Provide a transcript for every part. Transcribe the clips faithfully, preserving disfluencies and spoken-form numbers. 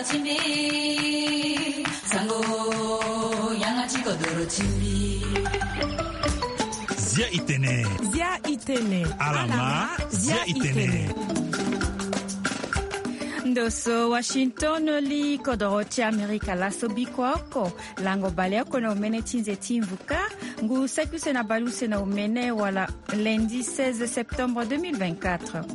Zia itene. Zia itene. Alama. Zia itene. Ndo so Washington, li kodoro ti Amerika laso biko oko. Lango baleoko na omene ti nze ti mvuka. Ngu saki use na baleuse na omene wala lundi seize septembre deux mille vingt-quatre.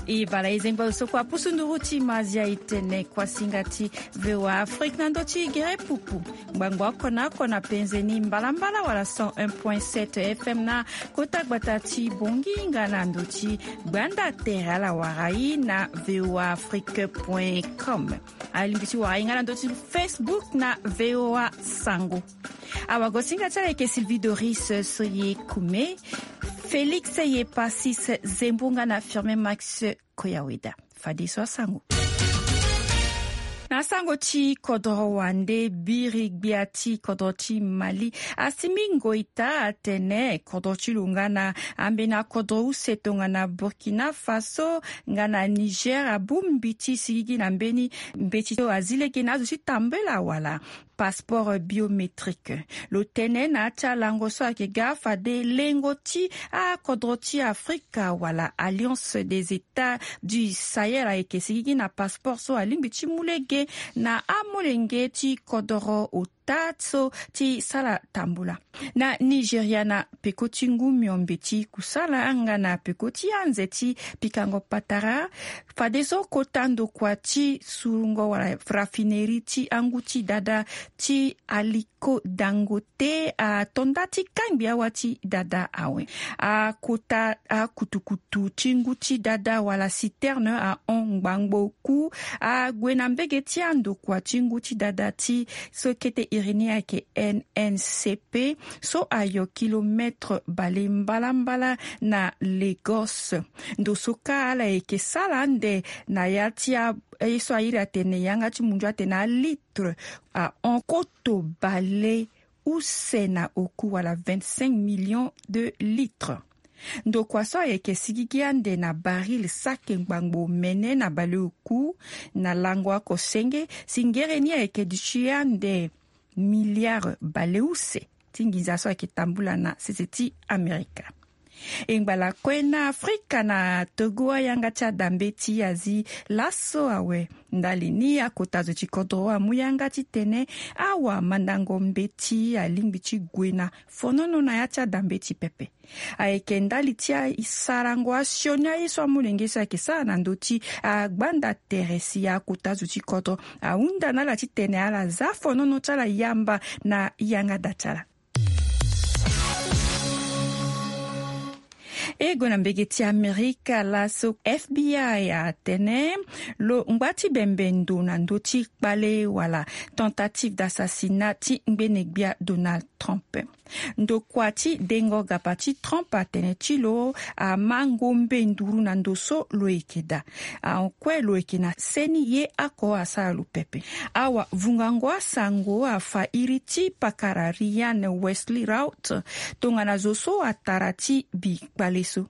E bala e zengba so kua pusu nduru ti ma Zia itene kuasinga ti VOA Afrique na ndö ti gere pupu. Ngbangbo oko na oko na penze ni mbalambala wala cent un point sept F M na kota gbata ti Bongi nga na ndö ti gbanda tere ala wara e na VOA Afrique point com. Alingbi ti wara e nga na ndö ti Facebook na VOA Sango. Awagosinga ti ala yeke Sylvie Doris Soye Kume, Félix Yepasis Zembo nga na Firmin Max Koyaweda. Fadeso asango. Na sango ti kodoro wande, biri gbia ti kodoro ti Mali, Assimi Goïta atene kodoro ti lo nga na ambeni akodoro use tongana Burkina Faso nga na Niger abongbi ti sigigi na mbeni mbeti so azi lege na azo ti tambela wala passeport biométrique. Lo tene na ya ti alango so ayeke ga fade lengo ti akodro ti Afrika wala Alliance des États du Sahel ayeke sigigi na passeport so alingbi ti mu lege na amolenge ti kodoro ota so ti sara tambula. Na Nigeria, na peko ti ngu miombe ti kusala nga na peko ti anze ti pikango patara, fadeso kota ndokua ti surungo wala raffinerie ti angu ti dada ti Aliko Dangote ato nda ti kangbi awa ti dada awe. Akota akutukutu ti ngu ti dada wala citerne ahon ngbangbo ku ague na mbege ti andokua ti ngu ti dada ti so kete iri ni ayeke N N C P so ayo kilomètre bale mbalambala na Lagos. Ndo so kâ ala yeke sara ande na ya ti a, ye so a iri atene yanga ti mundu atene alitre ahon koto bale use na oku wala vingt-cinq millions de litres. Ndokua so ayeke sigigi ande na baril sake ngbangbo mene na baleoku na lango oko senge, si ngere ni ayeke duti ande milliard baleuse ti nginza so ayeke tambula na sese ti Amerika. E ngba lakue na Afrika, na Togo ayanga ti adambeti azi laso awe. Ndali ni akota zo ti kodro amu yanga titene awamandango mbeti alingbi ti gue na fonono na ya ti adambeti pepe. Ayeke ndali ti asarango asioni aye so amolenge so ayeke sara na ndö ti agbanda tere si akota zo ti kodro ahunda na ala titene ala za fonono ti ala yamba na yanga da ti ala. E gue na mbege ti Amerika laso F B I atene lo ngba ti bembe ndo na ndö ti kpale wala tentative d'assassinat ti ngbene gbia Donald Trump. Ndokua ti dengo gaba ti Trump atene ti lo ama ngombe nduru na ndo so lo yeke daa. Akue lo yeke na seni ye oko asara lo pepe. Awavungango asango afa iri ti pakara Ryan Wesley Routh tongana zo so atara ti bi kpale so.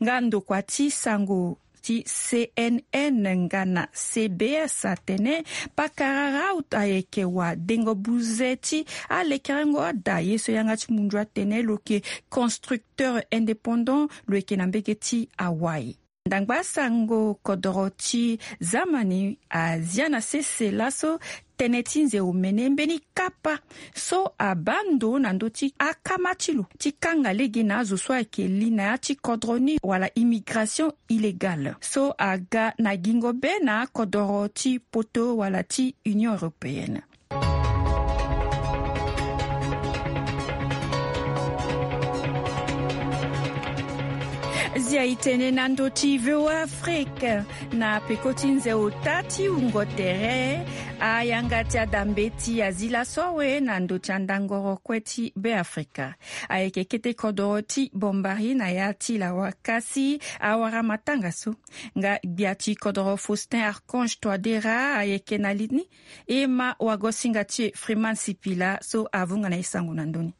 Nga ndokua ti sango ti C N N nga na C B S atene pakara Routh ayeke wadengo buze ti alekerengo ada ye so yanga ti mundu atene lo yeke constructeur indépendant, lo yeke na mbege ti Hawaï. Ndangba sango kodoro ti zamani azia na sese laso tënë ti nze omene mbeni kapa so abaa ndo na ndö ti akama ti lo ti kanga lege na azo so ayeke li na ya ti kodro ni wala immigration illégale so aga na gingo be na akodoro ti poto wala ti Union européenne. Zia e tene na ndö ti V O A Afrique na peko ti nze ota ti wungo tere. Ayanga ti adambeti azi laso awe na ndö ti andangoro kue ti Beafrika. Ayeke kete kodoro ti Bombari na ya ti lawa kasi awara matanga so. Nga gbia ti kodoro Faustin Archange Touadéra ayeke na li ni. E ma wagosinga ti e Freeman Sipila so avunga na e sango na ndö ni.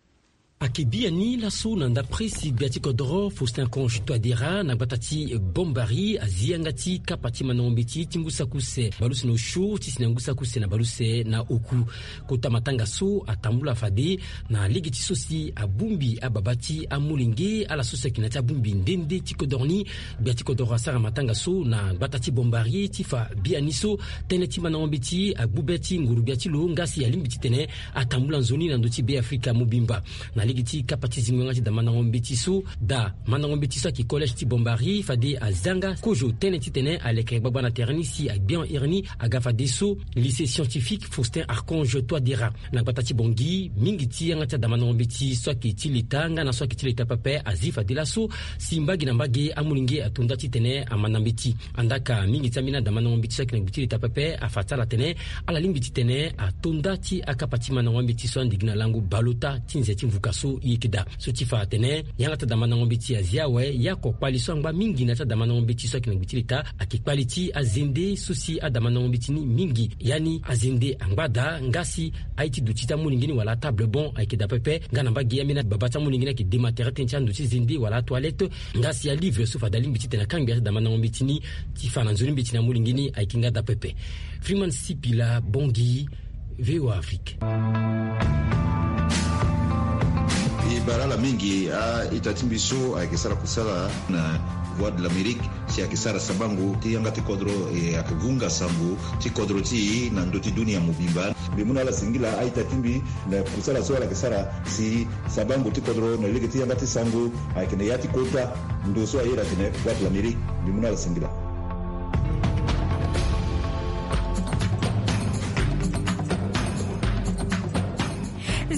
Ayeke biani laso na ndapre si gbia ti kodoro Faustin Archange Touadéra na gbata ti Bombari azi yanga ti kapa ti mandango mbeti ti ngu saki use baleuse na osio ti si na ngu saki use na baleuse na oku. Kota matanga so atambula fade na lege ti so si abongbi ababa ti amolenge ala so si ayeke na ya ti abongbi nde nde ti kodoro ni. Gbia ti kodoro asara matanga so na gbata ti Bombari ti fa biani so tënë ti mandango mbeti agbu be ti nguru-gbia ti lo nga si alingbi titene atambula nzoni na ndö ti Beafrika mobimba. Na lege ti kapa ti zingo yanga ti da mandango mbeti so, da mandango mbeti so ayeke collège ti Bombari fade azi yanga kozo tënë titene aleke gbagba na tere ni si agbian iri ni aga fadeso lycée scientifique Faustin Archange Touadéra. Na gbata ti Bangui, mingi ti yanga ti adamandango mbeti so ayeke ti leta nga na so ayeke ti leta pepe azi fade laso si mbage na mbage amolenge ato nda titene amanda mbeti. Andaa ka mingi ti ambeni adamandango mbeti so ayeke na gbe ti leta pepe afa ti ala atene ala lingbi titene ato nda ti akapa ti mandango ambeti so andigi na lango baleota ti nze ti mvuka so e yeke daa. So ti fa atene yanga ti adamandango mbeti azi awe, ye oko kpali so angba mingi na ya ti adamandango mbeti so ayeke na gbe ti leta ayeke kpali ti azende so si adamandango mbeti ni mingi, yani azende angba daa nga si aye ti duti ti amolenge ni wala atable bon ayeke daa pepe. Nga na mbage ambeni ababa ti amolenge ni ayeke dema tere tënë ti ando ti zende wala atoilette nga si alivre so fade alingbi titene akangbi ya ti adamandango mbeti ni ti fa na nzoni mbeti na amolenge ni ayeke nga daa pepe. Freeman Sipila, Bangui, VOA Afrique. E bara ala mingi a-ita ti mbi so ayeke sara kusala na Voix de l'Amérique si ayeke sara sabango ti yanga ti kodro, e ayeke vunga sango ti kodro ti e na ndö ti dunia mobimba. Mbi mu na ala singila a-ita ti mbi na kusala so ala yeke sara si sabango ti kodro na lege ti yanga ti sango ayeke na ya ti kota ndo so aye daa atene Voix de l'Amérique. Mbi mu na ala singila.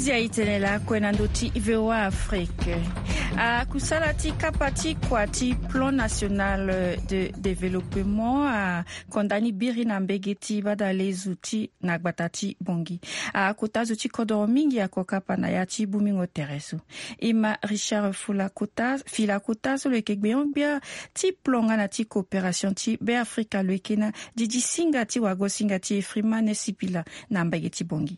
Zia e tene lakue na ndö ti VOA Afrique. Akusala ti kapa ti kua ti Plan National de Développement akonda ni biri na mbege ti badalezo ti na gbata ti Bangui. Akota zo ti kodoro mingi ako kapa na ya ti bongbingo tere so. E ma Richard Fula Kota, Fila Kota so lo yeke gbenyo-gbia ti plan nga na ti coopération ti Beafrika lo yeke na didi singa ti wago singa ti e Freeman Sipila na mbage ti Bangui.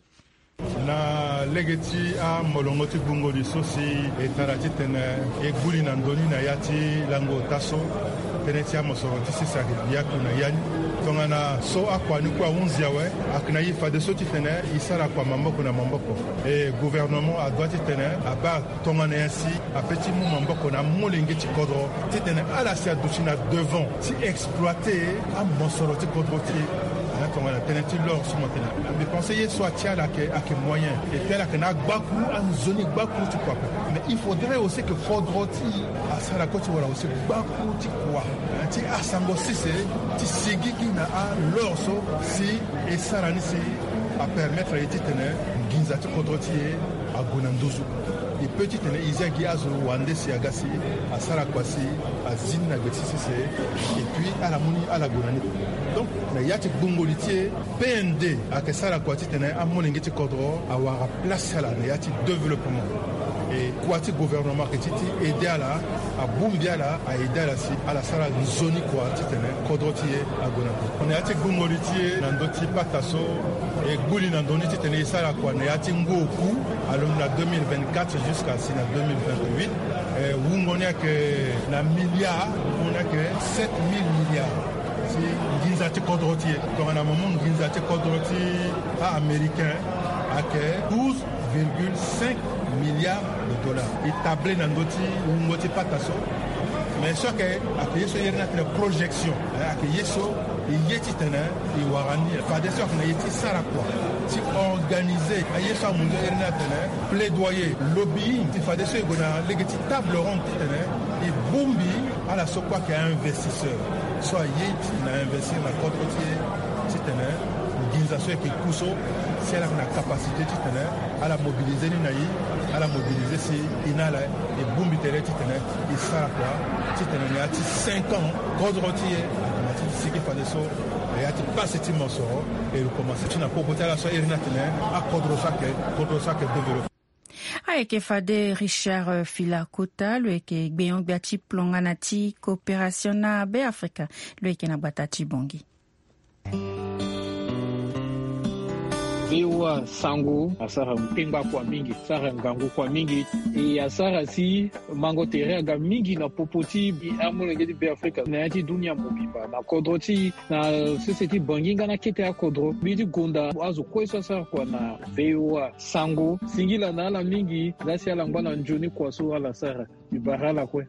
Na lege ti amolongo ti gbungo ni so si e tara titene e gbu li na ndö ni na ya ti lango ota so, tënë ti amosoro ti sese ayeke bi atu na ya ni. Tongana so akua ni kue ahunzi awe, ayeke na e fadeso titene e sara kua maboko na maboko. E gouvernement adoit titene abaa tongana nyen si ape ti mu maboko na amolenge ti kodro titene ala si aduti na devant ti exploiter amosoro ti kodro ti e. Tongana tënë ti l'or so mo tene, mbi pense ye so atia ala ayeke, ayeke moyen. E tene ala ayeke na agbakuru, anzoni gbakuru ti kua ape. Mais il faudrait aussi que kodro ti e asara kue ti wara aussi gbakuru ti kua ti asango sese ti sigigi na a-l'or so si e sara ni si apermettre aye titene nginza ti kodro ti e ague na nduzu. E peut titene e zia gi azo wande si aga si asara kua si azi ni na gbe ti sese, et puis ala mu ni ala gue na ni. Donc na ya ti gbungo li ti e, P N D ayeke sara kua titene amolenge ti kodro awara place ti ala na ya ti développement. E kua ti gouvernement ayeke ti ti aider ala, abongbi ala, a aider ala si ala sara nzoni kua titene kodro ti e ague na nduzu. Na ya ti gbungo li ti e na ndö ti pata so, e gbu li na ndö ni titene e sara kua na ya ti ngu oku, alondo na deux mille vingt-quatre jusqu'à si na deux mille vingt-huit. E wungo ni ayeke na milliard, wungo ni ayeke sept mille milliards. Si nginza ti kodro ti e, tongana mo mu nginza ti kodro ti a-Américain ayeke douze virgule cinq milliards de dollars. E table na ndö ti wungo ti pata so. Mais so ayeke, ayeke ye so e iri ni atene projection. Eh, ayeke ye so e ye titene e wara ni, fadeso ayeke na ye ti sara kua ti organiser aye so amu nzoni e iri ni atene plaidoyer, lobbying, ti fadeso e gue na lege ti table ronde titene e bongbi ala so kue ayeke investisseur so aye ti na investir na kodro ti e, titene nginza so ayeke ku so, si ala yeke na capacité titene ala mobiliser ni na e, ala mobiliser si e na ala e bongbi tere titene e sara kua titene na ya ti cinq ans kodro ti e akomanse ti sigi fadeso, na ya ti pasi ti mosoro e komanse ti na popo ti ala so a iri ni atene akodro so ayeke, kodro so ayeke développé. Ayeke fade Richard Filakota, lo yeke gbenyo-gbia ti plan nga na ti coopération na Beafrika, lo yeke na gbata ti Bangui. Voa Sango asara kpengba kua mingi, asara ngangu kua mingi. E asara si mango tere aga mingi na popo ti amolenge ti Beafrika na ya ti dunia mobimba na kodro ti na sese ti Bangi nga na kete akodro. Mbi ti gonda azo kue so asara kua na Voa Sango. Singila na ala mingi, la si ala ngba na nzoni kua so ala sara. Mbi bara ala kue.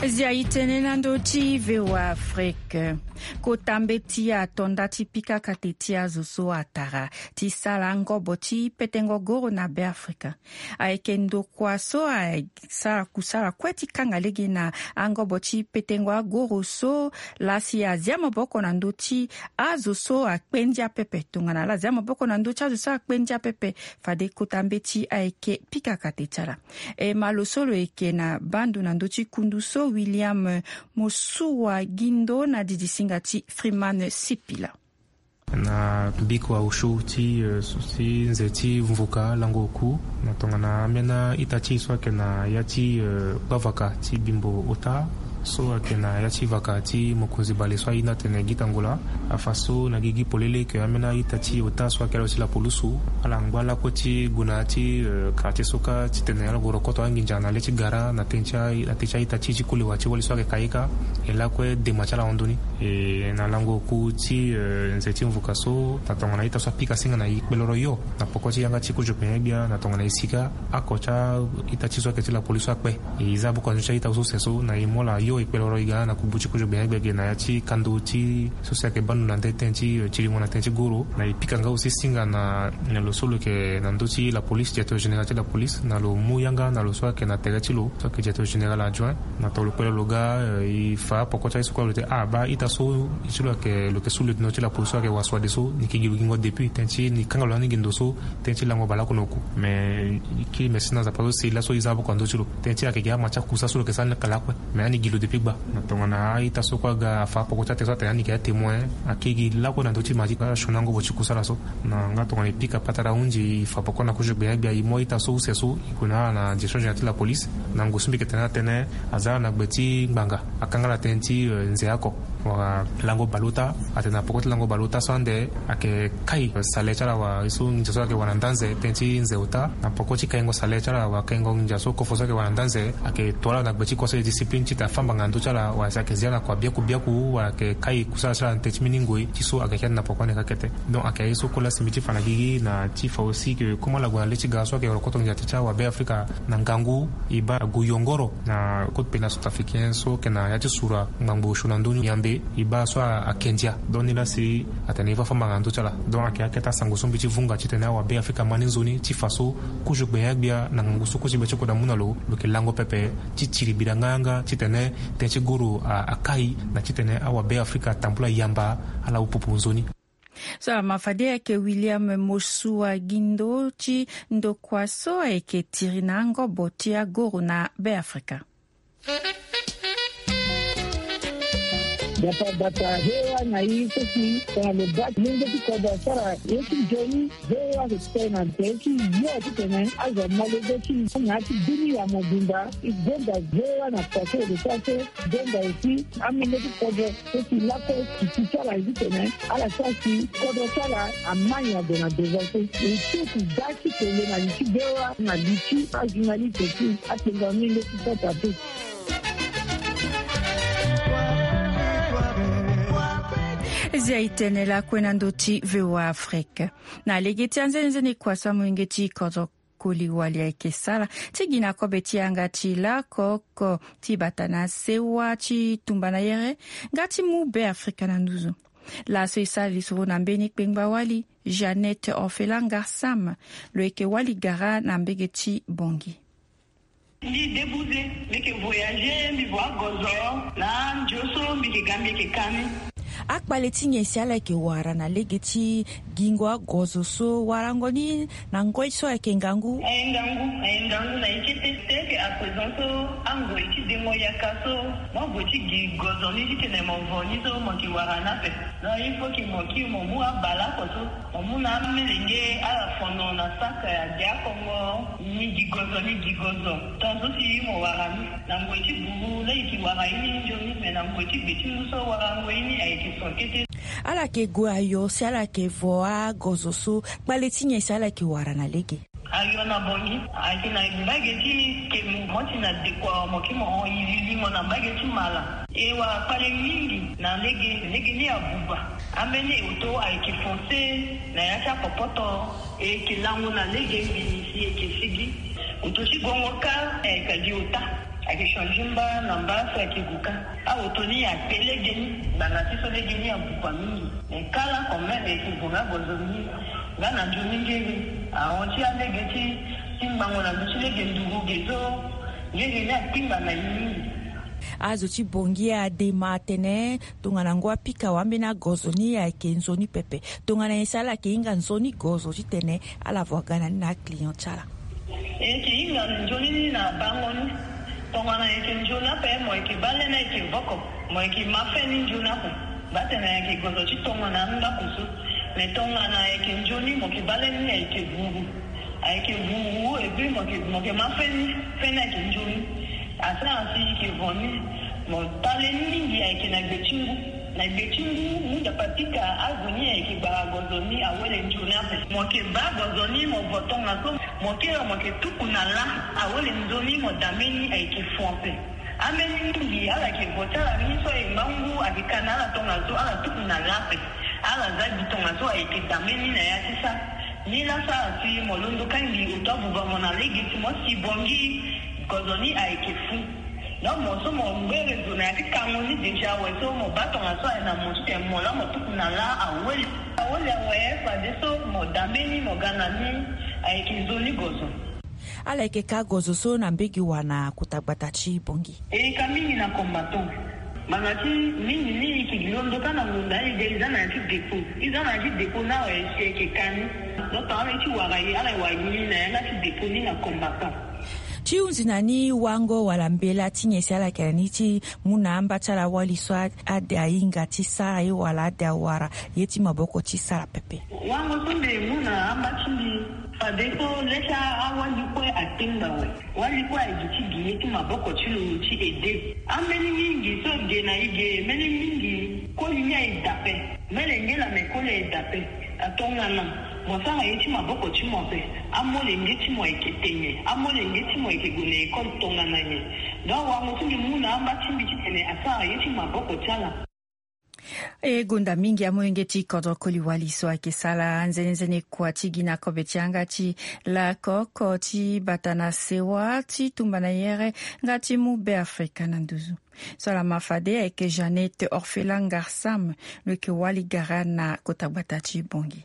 Zia e tene na ndö ti Voa Afrique. Kota mbeti ato nda ti pika kate ti azo so atara ti sara ngobo ti petengo goro na Beafrika. Ayeke ndokua so asara kusala kue ti kanga lege na angobo ti petengo agoro so, la si azia maboko na ndö ti azo so akpe ndia pepe. Tongana ala zia maboko na ndö ti azo so akpe ndia pepe, fade kota mbeti ayeke pika kate ti ala. E ma lo so lo yeke na bando na ndö ti kundu so, William Mosuwa Gindo, na didisinga ti Freeman Sipila. Na biko ausho ti, eh, ti nze ti mvuka lango oku na tongana ambeni a-ita ti e so ayeke na ya ti, eh, gbavaka ti Bimbo Ota, so ayeke na ya ti vaka ti mokonzi bale so ahinga atene Gita Ngola. Afa so na gigi polele ke ambeni a-ita ti Ota so ayeke ala ti lapolusu, ala ngba lakue ti gue na ya ti, eh, quartier so kâ titene ala gue rokoto anginza na le ti gara na tënë ti a-, na tënë ti a-ita ti e ti koli wa ti wali so ayeke Kayika. E lakue dema ti ala hon ndoni. E na lango oku ti, eh, nze ti mvuka so, na tongana ita so apika singa na e kpeloro yo na poko ti yanga ti kozo gbenya gbia na tongana e sika ako ti a-ita ti so ayeke ti lapolisi so akpe. E za buku na ndö ti a-ita so use so na e mu ala yo e kpeloro e ga na kubu ti kozo gbenya gbia ge na ya ti kando ti so si ayeke bando na nde tënë ti, eh, tiringo na tënë ti goro. Na e pika nga aussi singa na, na lo so lo yeke na ndö ti lapolisi, directeur général ti lapolisi, na lo mu yanga na lo so ayeke na tere ti lo so ayeke directeur général adjoint. Na tongana lo kpeloro lo ga, eh, e fa poko ti aye so kue lo tene, ah, baa ita so, e ti lo ayeke, lo yeke sous-lieutenant ti lapolisi so ayeke wasuade so, ni yeke gi lo gingo depuis, tënë ti ni kanga lo na ni gi ndo so, tënë ti lango bale oko na oku. Mais e kiri merci na Nzapa so si laso e za poko na ndö ti lo. Tënë ti ayeke gi ama ti akusa so lo yeke sara ni kala kue. Mais ani gi lo depuis gba. Na tongana a-ita so kue aga afa poko ti atere so atene ani yeke atémoin, akiri gi lakue na ndö ti ma ti asioni angobo ti kusala so. Na nga tongana e pika patara hunzi, e fa poko na kozo gbenya gbia, e mu a-ita so use so, e gue na ala na direction générale ti lapolisi. Na ngu so mbi yeke tene atene, aza ala na gbe ti ngbanga, akanga ala tënë ti, eh, nze oko. Wala lango baleota, atene na poko ti lango baleota so ande, ayeke kai, eh, salaire ti ala wala ye so nginza so ayeke wara na nda nze, tënë ti nze ota. Na poko ti kaingo salaire ti ala wala kaingo nginza so kofo so ayeke wara na nda nze, ayeke to ala na gbe ti conseil de discipline titene afa ngbanga na ndö ti ala, wala si ayeke zia ala na kua biaku biaku, wala ayeke kai kusala ti ala na tënë ti mbeni ngoi ti so ayeke kete na poko ande kâ kete. Donc ayeke aye so kue la si mbi ti fa na gigi na ti fa aussi que comme ala gue na le ti ga so ayeke rokoto nginza ti ti awabe Afrika na ngangu, e baa ague yongoro na code pénal centrafricain so ayeke na ya ti sura ngbangbo osio na ndö ni yambe, e baa so a, ake ndia. Donc ni la si atene e fa fâ mbanga na ndö ti ala. Donc ayeke akete asango so mbi ti vunga titene awabe Afrika ama ni nzoni ti fa so kozo gbenya gbia na ngangu so kozo gbia ti kodro amu na lo, lo yeke lango pepe ti tiri bira nganga titene tënë ti goro a, akai na titene awabe Afrika atambula yamba ala upupu nzoni. So ama fade ayeke William Mosua Gindo ti ndokua so ayeke tiri na angobo ti agoro na Be Afrika. Gbata gbata, he wa na i so si tongana lo baa ti lenge ti kodro asara ye ti nzoni. Ve wa so ti tene na nze ti yo titene azo amolenge ti na ya ti dunia mobimba. E gonda ve wa na kua so e lo sara so. Gonda aussi amolenge ti kodro so si lakue si ti ti ala ye titene ala sara si kodro ti ala ama nyen ague na devant so. E ti si da ti tene na li ti ve wa na li ti ajournaliste ti atenga amolenge ti sota te. Zia e tene lakue na ndö ti V O A Afrique. Na lege ti anzenenzene kua so amolenge ti kodro koli wali ayeke sara ti gi na kobe ti yanga ti lakoko ti bata na sewa ti tumba na yere nga ti mu Be Afrika na nduzu. Laso e sara lisoro na mbeni kpengba wali Jeannette Orphelin Ngarsam, lo yeke wali gara na mbege ti Bangui. Mbi débouze, mbi yeke voyager, mbi voa gozo na ndio so mbi yeke ga mbi yeke ka ni. Akpale ti nyen si ala yeke wara na lege ti gingo agozo so warango ni na ngoi so ayeke ngangu? Aye ngangu, aye ngangu na ye kete. Te yeke À présent so angoi ti dengo yaka so, mo gue ti gi gozo ni titene mo vo ni so mo yeke wara ni ape. Donc il faut que mo kiri mo mu abale oko so, mo mu na amelenge ala fono na saka ya dia kongo. Ni gi gozo, ni gi gozo. Tongaso si mo wara ni na ngoi ti buru laa e yeke wara ye ni nzoni, me na ngoi ti gbe ti ngu so wara ngoi ni ayeke so kete. Ala yeke gue ayo si ala yeke vo agozo so, kpale ti nyen si ala yeke wara na lege? Ayo na bongi ayeke na mbage ti kemu, mo ti na dekua mo kiri mo hon yilili mo na mbage ti mala. E wara kpale mingi na lege, lege ni abuba. Ambeni oto ayeke fonse na ya ti apopoto. E yeke lango na lege mbini si e yeke sigi. Oto ti gongo kâ ayeke gi ota. Ayeke change mba na mba so ayeke gu kâ. Aoto ni akpe lege ni ngbanga ti so lege ni abuba mingi. Me kala quand même e yeke vo nga gozo ni. Nga na nzoni ngere ahon ti alege ti ti ngbangona ndo ti lege nduru ge so. Ngere ni akpingba na ye mingi. Azo ti bongi adema atene tongana ngu apika wambeni agozo ni ayeke nzoni pepe. Tongana nyen si ala yeke hinga nzoni gozo titene ala vo aga na ni na aclient ti ala? E yeke hinga nzoni ni na bango ni. Tongana e yeke nzoni ape mo yeke baa lê ni ayeke voko, mo yeke ma fê ni nzoni ape. Mbatene ayeke gozo ti tongana andaku so. Me tongana ayeke nzoni mo yeke baa lê ni ayeke vuru. Ayeke vuru et puis mo yeke, mo yeke ma fê ni, fê ni ayeke nzoni. Asara si e yeke vo ni. Mo ta lê ni mingi ayeke na gbe ti ngu. Na gbe ti ngu, ngu nzapa pika azo ni ayeke gbara gozo ni awele nzoni ape. Mo yeke baa gozo ni mo vo tongaso. Mo kiri mo yeke tuku na lâ. Awele nzoni mo dame ni ayeke fo ape. Ambeni mingi ala yeke vo ti ala ni so aye ngba ngu ayeke ka na ala tongaso ala tuku na lâ ape. Ala za gi tongaso ayeke dame ni na ya ti sara. Ni laa sara si mo londo kangi oto abuba mo na lege ti mo si bongi gozo ni ayeke fu. Donc mo so mo ngbere zo na ya ti kango ni déjà awe so mo baa tongaso aye na mo titene mo laa mo tuku na lâ awele. Awele awe fadeso mo dame ni mo ga na ni. Ayeke nzoni gozo. Ala yeke ka gozo so na mbege wa na kota gbata ti bongi? E ka mingi na combattant. Ngbanga ti mingi ni e yeke londo kâ na ngonda aye de e za na ya ti dépôt. E za na ya ti dépôt ni awe si e yeke ka ni. Donc ala ye ti wara ye, ala ye wara ye ni na yanga ti dépôt ni na combattant. Ti hunzi na ni wango wala mbela ti nyen si ala yeke na ni ti mu na amba ti ala wali so a, ade ahinga ti sara ye wala ade awara ye ti maboko ti sara pepe? Wango so mbi mu na amba ti mbi. Fadeso lê ti awali kue atengba awe. Wali kue aye gi ti gi ye ti maboko ti lo ti ede. Ambeni mingi so ge na e ge, mbeni mingi koli ni aye dape. Mbeni lenge la me koli aye dape. Atongana mo sara ye ti maboko ti mo ape. Amolenge ti mo ayeke tene, amolenge ti mo ayeke gue na école tongana nyen? Donc wango so mbi mu na amba ti mbi titene asara ye ti maboko ti ala. E gonda mingi amolenge ti kodro koli wali so ayeke sara nzenenzene kua ti gi na kobe ti yanga ti lakoko ti bata na sewa ti tumba na yere nga ti mu Be Afrika na nduzu. So ala ma fade ayeke Jeannette Orphelin Ngarsam, lo yeke wali gara na kota gbata ti Bangui.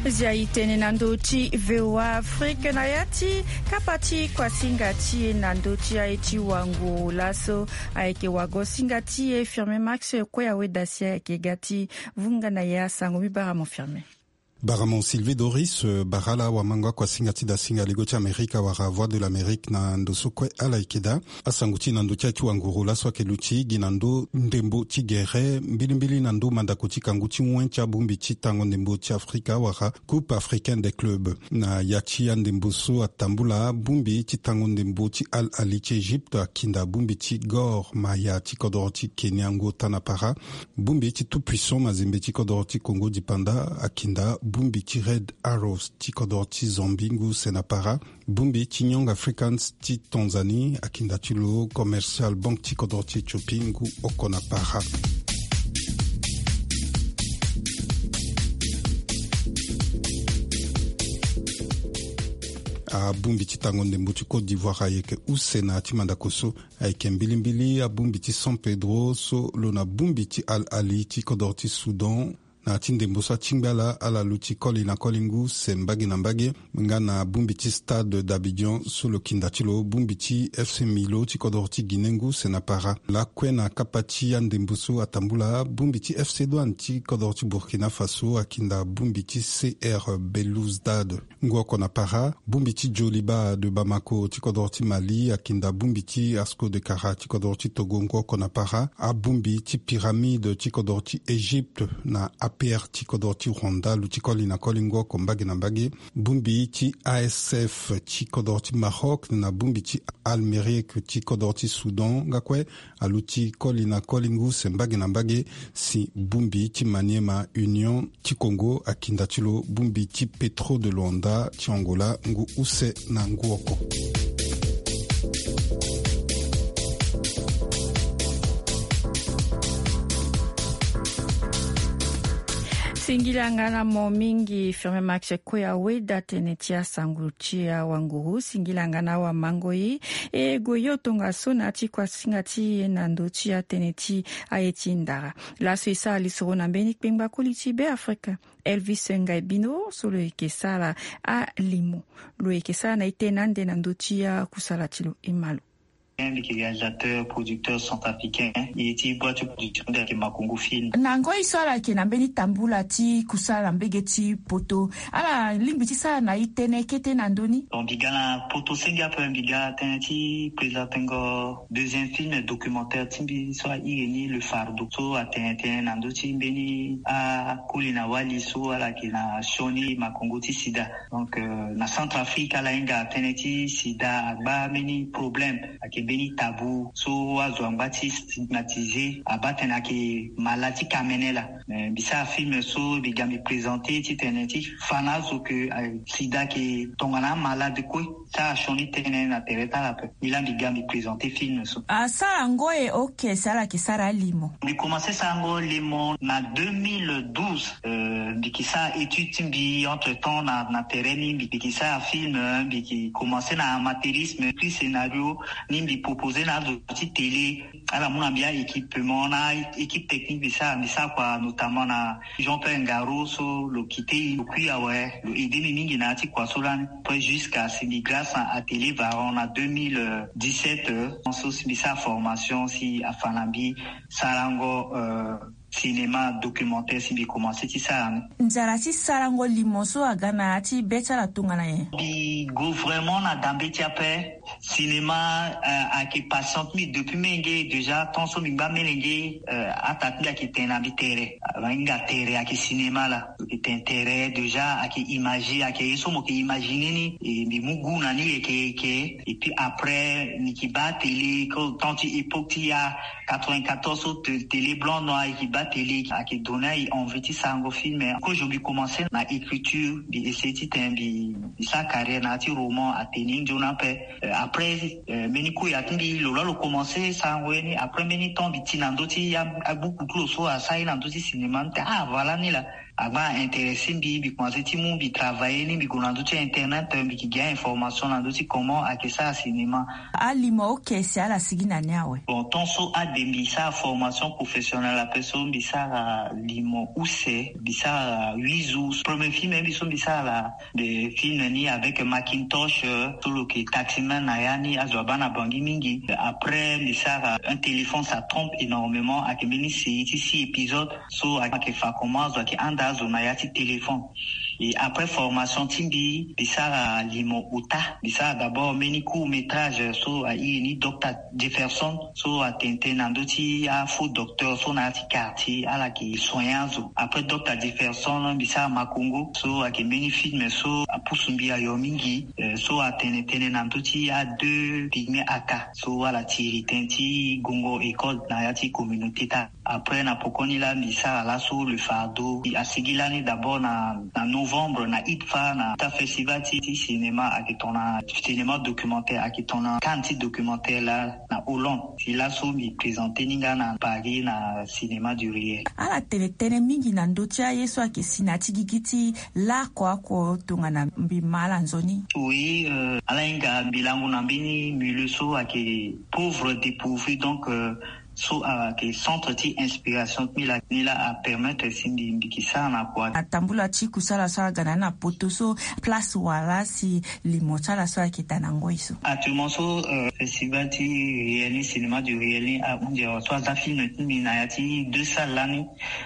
Zia e tene na ndö ti V O A Afrique na ya ti kapa ti kuasinga ti e na ndö ti aye ti wango laso ayeke wago singa ti e Firmin Max kue awe dasi ayeke ga ti vunga na ya sango mi bara mo Firmin. Baramo Sylvie Doris, eh, bara ala wamango akuasinga ti dasinga ligo ti Amerika wala Voix de l'Amérique na ndo so kue ala yeke daa. Asango ti na ndo ti aye ti wanguru laso ayeke luti gi na ndo ndembo ti gere mbilimbili na ndo mandako ti kangu ti wen ti abongbi ti tango ndembo ti Afrika wala Coupe africaine des clubs. Na ya ti andembo so atambula bongbi ti tango ndembo ti Al Ahly ti Egypte akinda bongbi ti Gor Mahia ti kodoro ti Kenya ngu ota na para. Bongbi ti Tout Puissant Mazembe ti kodoro ti Congo Dipanda akinda bongbi ti Red Arrows ti kodoro ti Zambie ngu use na para. Bongbi ti Young Africans ti Tanzanie akinda ti lo Commercial Bank ti kodoro ti Éthiopie ngu oko na para. Abongbi ti tango ndembo ti Côte d'Ivoire ayeke use na ya ti mandako so. Ayeke mbilimbili abongbi ti San Pedro so lo na bongbi ti Al Ahly ti kodoro ti Soudan Na ti ndembo so atingbi ala, ala luti koli na koli ngu se mbage na mbage. Nga na bongbi ti Stade d'Abidjan so lo kinda ti lo, bongbi ti FC Milo ti kodoro ti Guinée ngu se na para. Lakue na kapa ti andembo so atambula, bongbi ti FC Douane ti kodoro ti Burkina Faso akinda bongbi ti C R Belouizdad. Ngu oko na para, bongbi ti Djoliba de Bamako ti kodoro ti Mali akinda bongbi ti Asco de Kara ti kodoro ti Togo. Ngu oko na para, abongbi ti Pyramide ti kodoro ti Égypte na A P R ti kodoro ti Rwanda aluti koli na koli ngu oko mbage na mbage. Bongbi ti A S F ti kodoro ti Maroc na bongbi ti Al Merrikh ti kodoro ti Soudan nga kue aluti koli na koli ngu se mbage na mbage. Si bongbi ti Maniema Union ti Congo akinda ti lo bongbi ti Petro de Luanda ti Angola ngu use na ngu oko. Singila nga na mo mingi, Firmin Max Koya Weda, tënë ti asango ti awanguru. Singila nga na awamango ye, e gue yo tongaso na ya ti kuasinga ti e na ndö ti atënë ti aye ti ndara. Laso e sara lisoro na mbeni kpengba koli ti Beafrika, Elvis Ngaibino, so lo yeke sara alimo. Lo yeke sara na e tënë ande na ndö ti akusala ti lo, e ma lo. Mbi yeke réalisateur, producteur centrafricain. E ti boîte ti production nde ayeke Makongo Film. Na ngoi so ala yeke na mbeni tambula ti kusala na mbage ti poto, ala lingbi ti sara na e tënë kete na ndö ni? Bon, mbi ga na poto senge ape, mbi ga tënë ti présentengo deuxième film documentaire ti mbi so a iri ni Le Fardeau, so atene tënë na ndö ti mbeni akoli na wali so ala yeke na sioni makongo ti sida. Donc, euh, na Centrafrique, ala hinga tënë ti sida agba mbeni problème, ayeke mbeni tabou so azo angba ti stigmatiser, abaa tene ayeke mala ti kamene laa. Mais mbi sara film so mbi ga mbi présenter titene ti fa na azo ke, eh, sida ayeke tongana amalade kue. Ti ala sioni tënë na tere ti ala ape. Mbi laa mbi ga mbi présenter film so. Asara yango e, ok, si ala yeke sara alimo? Mbi commencer sarango limo na deux mille douze. Euh, mbi yeke sara étude ti mbi entre temps na, na tere ni, mbi, mbi yeke sara film, euh, mbi yeke commencer na amateurisme, écrit scénario, ni mbi proposer na azo ti télé, ala mu na mbi a-équipement na équipe technique, mbi sara, mbi sara kua notamment na Jean-Pierre Ngaro so lo quitté, lo kui awe, lo aider mbi mingi na ya ti kua so lani. Après, jusqu'à si mbi grâce na Atelier Varan na deux mille dix-sept, euh, so si mbi sara formation si afa na mbi sarango, euh, cinéma documentaire si mbi commencer ti sara ni. Nzara ti sarango limo so aga na ya ti be ti ala tongana nyen? Mbi gue vraiment na dambe ti ape. Cinéma, euh, ayeke passion ti mbi depuis molenge. Déjà, temps so mbi ngba molenge, euh, ataa ti mbi ayeke tene na mbi tere. Ahinga tere ayeke cinéma laa. Lo yeke tene tere, déjà ayeke imagé, ayeke ye so mo yeke imaginer ni. E mbi mu goût na ni yeke yeke. Et puis après, mbi yeke baa télé, temps ti époque ti ya, quatre-vingt-quatorze so te-, télé blanc noir, e yeke baa télé, ayeke donner e envie ti sarango film. Kozo mbi commencer na écriture, mbi essayer titene mbi, mbi sara carrière na ya ti roman, atene nzoni ape. Euh, après, euh, mbeni koya ti mbi, lo laa lo commencer sarango ye ni. Après mbeni temps mbi ti na ndö ti a, abuku ti lo so asara ye na ndö ti cinéma, mbi tene ah, voilà ni laa. Agba a-intéresser mbi, mbi commencer ti mu mbi travailler ni, mbi gue na ndö ti internet, mbi yeke gi a-information na ndö ti comment ayeke sara cinéma. Alimo, ok, si ala sigi na ni awe? Bon, temps so ade mbi sara formation professionnelle ape so mbi sara limo use, mbi sara huit jours. Premier film mbi so mbi sara laa, mbi film ni avec Macintosh, euh, so lo yeke taximan na ya ni, azo abaa na Bangui mingi. Après, mbi sara Un téléphone ça trompe énormément, ayeke mbeni série ti six épisodes. So ayeke fa comment azo ayeke handa azo na ya ti téléphone. Et après formation ti mbi, mbi sara limo ota. Mbi sara d'abord mbeni court métrage so a iri ni Docteur Jefferson, so atene tënë na ndö ti afaux docteur so na ya ti quartier, ala yeke soigner azo. Après Docteur Jefferson, mbi sara Makongo, so ayeke mbeni film so apusu mbi ayo mingi, euh, so atene tënë na ndö ti a deux pygmées aka, so ala tiri tënë ti gongo école na ya ti communauté ti ala. Après, na pokoni laa, mbi sara laso Le Fardeau. Asigi lani d'abord na, na novembre, na IDFA, na ta festival ti, ti cinéma ayeke tongana cinéma documentaire, ayeke tongana Cannes ti documentaire laa na Hollande. Si laso mbi présenter ni nga na Paris na Cinéma du Riel. Ala tene tënë mingi na ndö ti aye so ayeke si na ya ti gigi ti laoko oko tongana mbi ma ala nzoni. Oui, euh, ala hinga mbi lango na mbeni milieu so ayeke pauvre, dépourvu, donc, euh, So ayeke centre ti inspiration ti mbi laa ni laa apermettre si mbi mbi yeke sara na kua. Atambula ti kusala so aga na ni na poto so place wala si limo ti ala so ayeke daa na ngoi so. Actuellement so festival ti réel ni cinéma du réel ni ahunzi awa so aza film ti mbi na ya ti deux salles lani.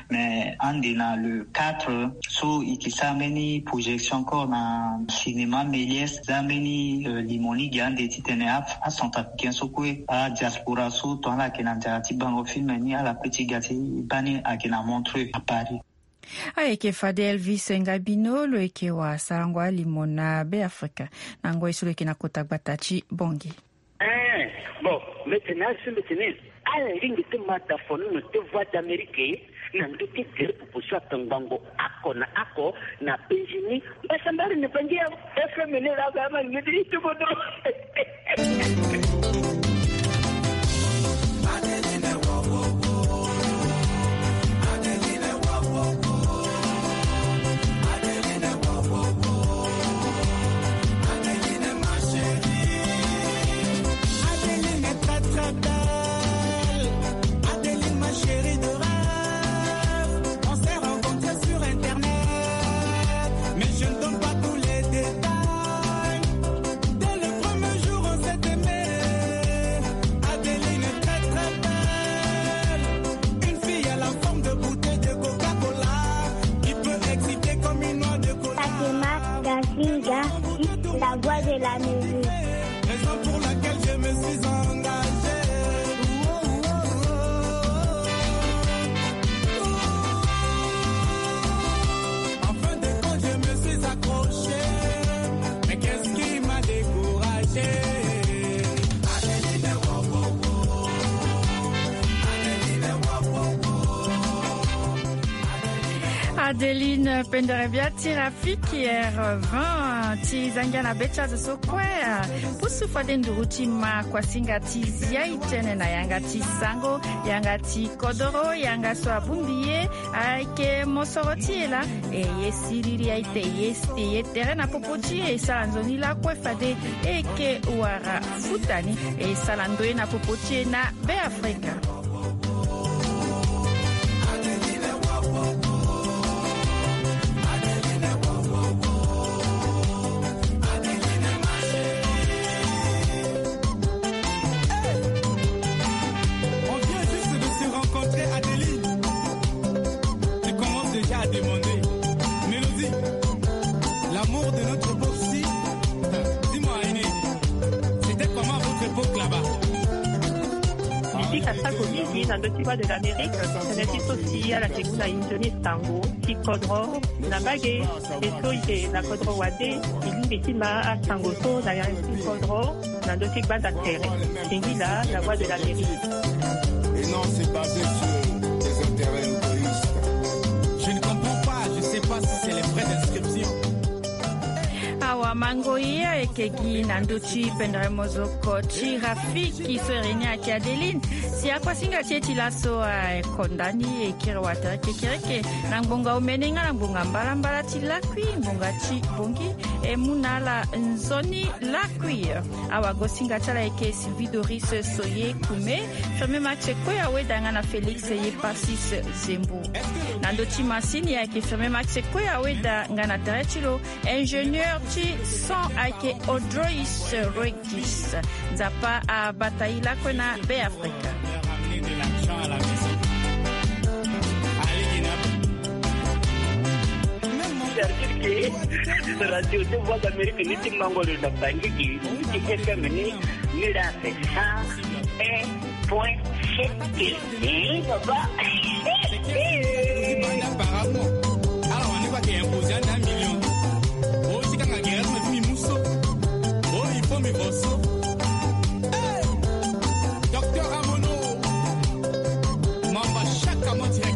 Mais ande na le quatre so e yeke sara mbeni projection encore na cinéma Méliès. Za mbeni limo ni gi ande titene acentrafricain so kue adiaspora so tonga ala yeke na nzara ti bango film ni ala pe ti ga ti baa ni ayeke na Montreux à Paris. Ayeke fade Elvis Ngabino lo yeke wa sarango alimo na Beafrika na ngoi so lo yeke na kota gbata ti Bangui. Eh, bon, maintenant so mbeti ni ala lingbi ti ma da fonono ti Voix d'Amérique na ndö ti tere popo so atongbango ako na ako na penzi ni. Mbasambari ni bangi ya F M ni la ga ma ngidi ti bodo. Adeline est très très belle. Adeline, ma chérie de rêve. On s'est rencontrés sur internet, mais je ne donne pas tous les détails. Dès le premier jour, on s'est aimé. Adeline est très très belle. Une fille à la forme de bouteille de Coca-Cola qui peut exciter comme une noix de cola. Fatima Gazinga, la voix de la musique. Raison pour laquelle je me suis engagé. En fin de compte, je me suis accroché. Mais qu'est-ce qui m'a découragé? Adeline Penderebia ti Rafiki R vingt ti zangia na be ti azo so kue. Pusu fade nduru ti ma kuasinga ti zia e tene na yanga ti sango, yanga ti kodoro, yanga so abongbi ye. Ayeke mosoro ti e laa. E ye siriri aye te, e ye si te, e ye tere na popo ti e, e sara nzoni lakue fade e yeke wara futa ni. E sara ndoye na popo ti e na Beafrika. On vient juste de se rencontrer, Adeline. Tu commences déjà à demander. Mélodie, l'amour de notre époque, si. Dis-moi, Aïné, c'était comment à votre époque là-bas? Depuis Kasako Midi, na ndö ti Voix de l'Amérique, tene ti so si ala yeke mu na e nzoni sango ti kodro na mbage. E so e yeke na kodro wande, e lingbi ti ma asango so na yanga ti kodro na ndö ti gbanda tere. Singila, la voix de l'Amérique. Et non, c'est basé sur des intérêts égoïstes. Je ne comprends pas, je sais pas si c'est les frais d'inscription. Awa mango ye ayeke gi na ndö ti pendere mozoko ti Rafiki so e reni ayeke Adeline. Si akuasinga ti e ti laso akonda ni e kiri watere kekereke na ngbonga omene nga na ngbonga mbalambala ti lakui, ngbonga ti bongi. E mu na ala nzoni lakui. Awagosinga ti ala ayeke Sylvie Doris Soye Kume, Firmin Max Koya Weda nga na Félix Yepasis Zembo. Na ndö ti masini ayeke Firmin Max Koya Weda nga na tere ti lo, ingénieur ti son ayeke Odrois Roigis. Nzapa abata e lakue na Beafrika. Certifié radio ti Voix d'Amérique ni ti mango lo na Bangui gi ti F M ni, ni la fait cent un point sept. Baba. Banda paramo. Ala wani kwa ke imposer un million. O ti kanga gere ma ti mi muso. O il faut mi voso. Docteur Amono. Mamba chaque mois direct.